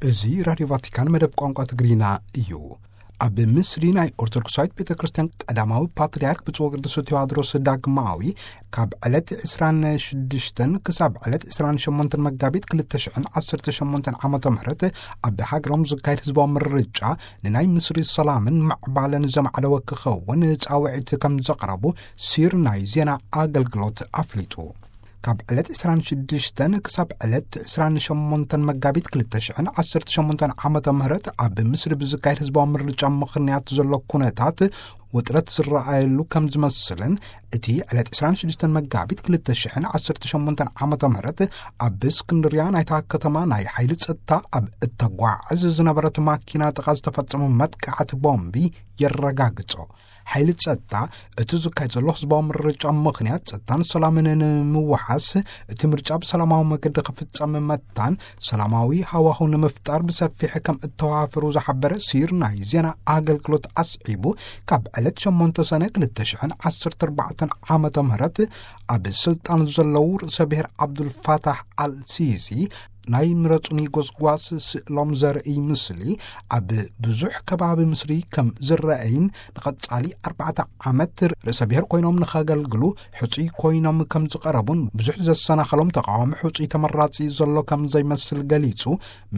እዚ ራድዮ ቫቲካን መደብ ቋንቋ ትግርኛ እዩ። ኣብ ምስሪ ናይ ኦርቶዶክሳዊት ቤተ ክርስቲያን ቀዳማዊ ፓትርያርክ ብፁዕ ወቅዱስ ቴዎድሮስ ዳግማዊ ካብ ዕለት ዕስራን ሽዱሽተን ክሳብ ዕለት ዕስራን ሸሞንተን መጋቢት ክልተ ሽሕን ዓሰርተ ሸሞንተን ዓመተ ምህረት ኣብ ሃገሮም ዝካየድ ህዝባዊ ምርጫ ንናይ ምስሪ ሰላምን ምዕባለን ዘማዕደወ ክኸውን ጻውዒት ከም ዘቕረቡ ሲር ናይ ዜና ኣገልግሎት ኣፍሊጡ። ካብ ዕለት ዕስራን ሽዱሽተን ክሳብ ዕለት ዕስራን ሸሞንተን መጋቢት ክልተ ሽሕን ዓሰርተ ሸሞንተን ዓመተ ምህረት ኣብ ምስሪ ብዝካየድ ህዝባዊ ምርጫ ምኽንያት ዘሎ ኩነታት ውጥረት ዝረኣየሉ ከም ዝመስልን፣ እቲ ዕለት ዕስራን ሽዱሽተን መጋቢት ክልተ ሽሕን ዓሰርተ ሸሞንተን ዓመተ ምህረት ኣብ እስክንድርያ ናይታ ከተማ ናይ ሓይሊ ጸጥታ ኣብ እተጓዕዝ ዝነበረት ማኪና ጥቓ ዝተፈጸመ መጥቃዕቲ ቦምቢ የረጋግጾ። ሓይሊ ጸጥታ እቲ ዝካየድ ዘሎ ህዝባዊ ምርጫ ምኽንያት ጸጥታን ሰላምን ንምውሓስ፣ እቲ ምርጫ ብሰላማዊ መገዲ ክፍጸም መታን ሰላማዊ ሃዋሁ ንምፍጣር ብሰፊሕ ከም እተዋፈሩ ዝሓበረ ሲር ናይ ዜና ኣገልግሎት ኣስዒቡ፣ ካብ ዕለት ሸሞንተ ሰነ ክልተ ሽሕን ዓሰርተ ኣርባዕተን ዓመተ ምህረት ኣብ ስልጣን ዘለዉ ርእሰ ብሔር ዓብዱልፋታሕ ኣልሲሲ ናይ ምረጹኒ ጎስጓስ ስእሎም ዘርኢ ምስሊ ኣብ ብዙሕ ከባቢ ምስሪ ከም ዝረኣይን ንቐጻሊ ኣርባዕተ ዓመት ርእሰ ብሔር ኮይኖም ንኸገልግሉ ሕጹይ ኮይኖም ከም ዝቐረቡን ብዙሕ ዘሰናኸሎም ተቃዋሚ ሕጹይ ተመራጺ ዘሎ ከም ዘይመስል ገሊጹ፣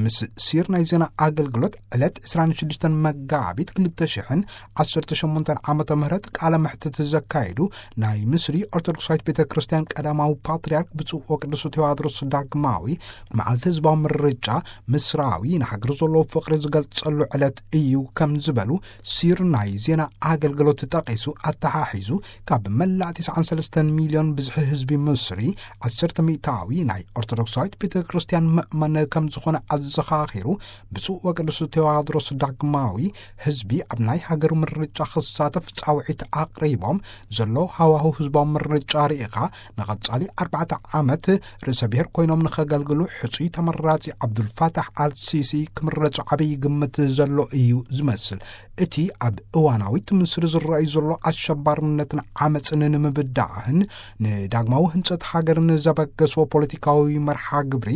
ምስ ሲር ናይ ዜና ኣገልግሎት ዕለት ዕስራን ሽዱሽተን መጋቢት ክልተ ሽሕን ዓሰርተ ሸሞንተን ዓመተ ምህረት ቃለ መሕትት ዘካየዱ ናይ ምስሪ ኦርቶዶክሳዊት ቤተ ክርስቲያን ቀዳማዊ ፓትርያርክ ብፁዕ ወቅዱስ ቴዎድሮስ ዳግማዊ፣ መዓልቲ ህዝባዊ ምርጫ ምስራዊ ንሃገር ዘለዎ ፍቕሪ ዝገልጸሉ ዕለት እዩ ከም ዝበሉ ሲር ናይ ዜና ኣገልግሎት ጠቒሱ ኣተሓሒዙ፣ ካብ መላእ ተስዓን ሰለስተን ሚልዮን ብዝሒ ህዝቢ ምስሪ ዓሰርተ ሚእታዊ ናይ ኦርቶዶክሳዊት ቤተ ክርስቲያን ምእመን ከም ዝኾነ ኣዘኻኺሩ፣ ብፁዕ ወቅዱስ ቴዎድሮስ ዳግማዊ ህዝቢ ኣብ ናይ ሃገሩ ምርጫ ክሳተፍ ጻውዒት ኣቕሪቦም፣ ዘሎ ሃዋሁ ህዝባዊ ምርጫ ርኢኻ ንቐጻሊ ኣርባዕተ ዓመት ርእሰ ብሔር ኮይኖም ንኸገልግሉ ሕጹይ ተመራጺ ዓብዱልፋታሕ ኣልሲሲ ክምረጹ ዓብዪ ግምት ዘሎ እዩ ዝመስል። እቲ ኣብ እዋናዊት ምስሪ ዝረኣዩ ዘሎ ኣሸባርነትን ዓመፅን ንምብዳዕን ንዳግማዊ ህንጸት ሃገርን ዘበገስዎ ፖለቲካዊ መርሓ ግብሪ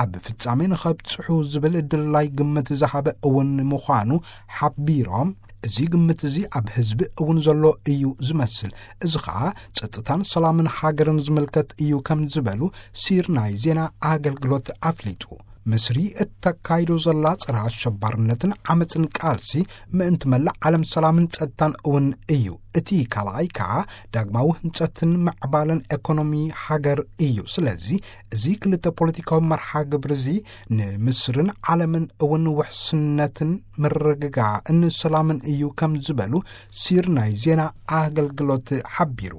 ኣብ ፍጻሜ ንኸብጽሑ ዝብል ድላይ ግምት ዝሃበ እውን ምዃኑ ሓቢሮም፣ እዚ ግምት እዚ ኣብ ህዝቢ እውን ዘሎ እዩ ዝመስል። እዚ ኸኣ ጸጥታን ሰላምን ሃገርን ዝምልከት እዩ ከም ዝበሉ ሲር ናይ ዜና ኣገልግሎት ኣፍሊጡ። ምስሪ እተካይዶ ዘላ ጸረ ኣሸባርነትን ዓመጽን ቃልሲ ምእንቲ መላእ ዓለም ሰላምን ጸጥታን እውን እዩ። እቲ ካልኣይ ከኣ ዳግማዊ ህንጸትን ምዕባለን ኤኮኖሚ ሃገር እዩ። ስለዚ እዚ ክልተ ፖለቲካዊ መርሓ ግብሪ እዚ ንምስርን ዓለምን እውን ውሕስነትን ምርግጋእን ሰላምን እዩ ከም ዝበሉ ሲር ናይ ዜና ኣገልግሎት ሓቢሩ።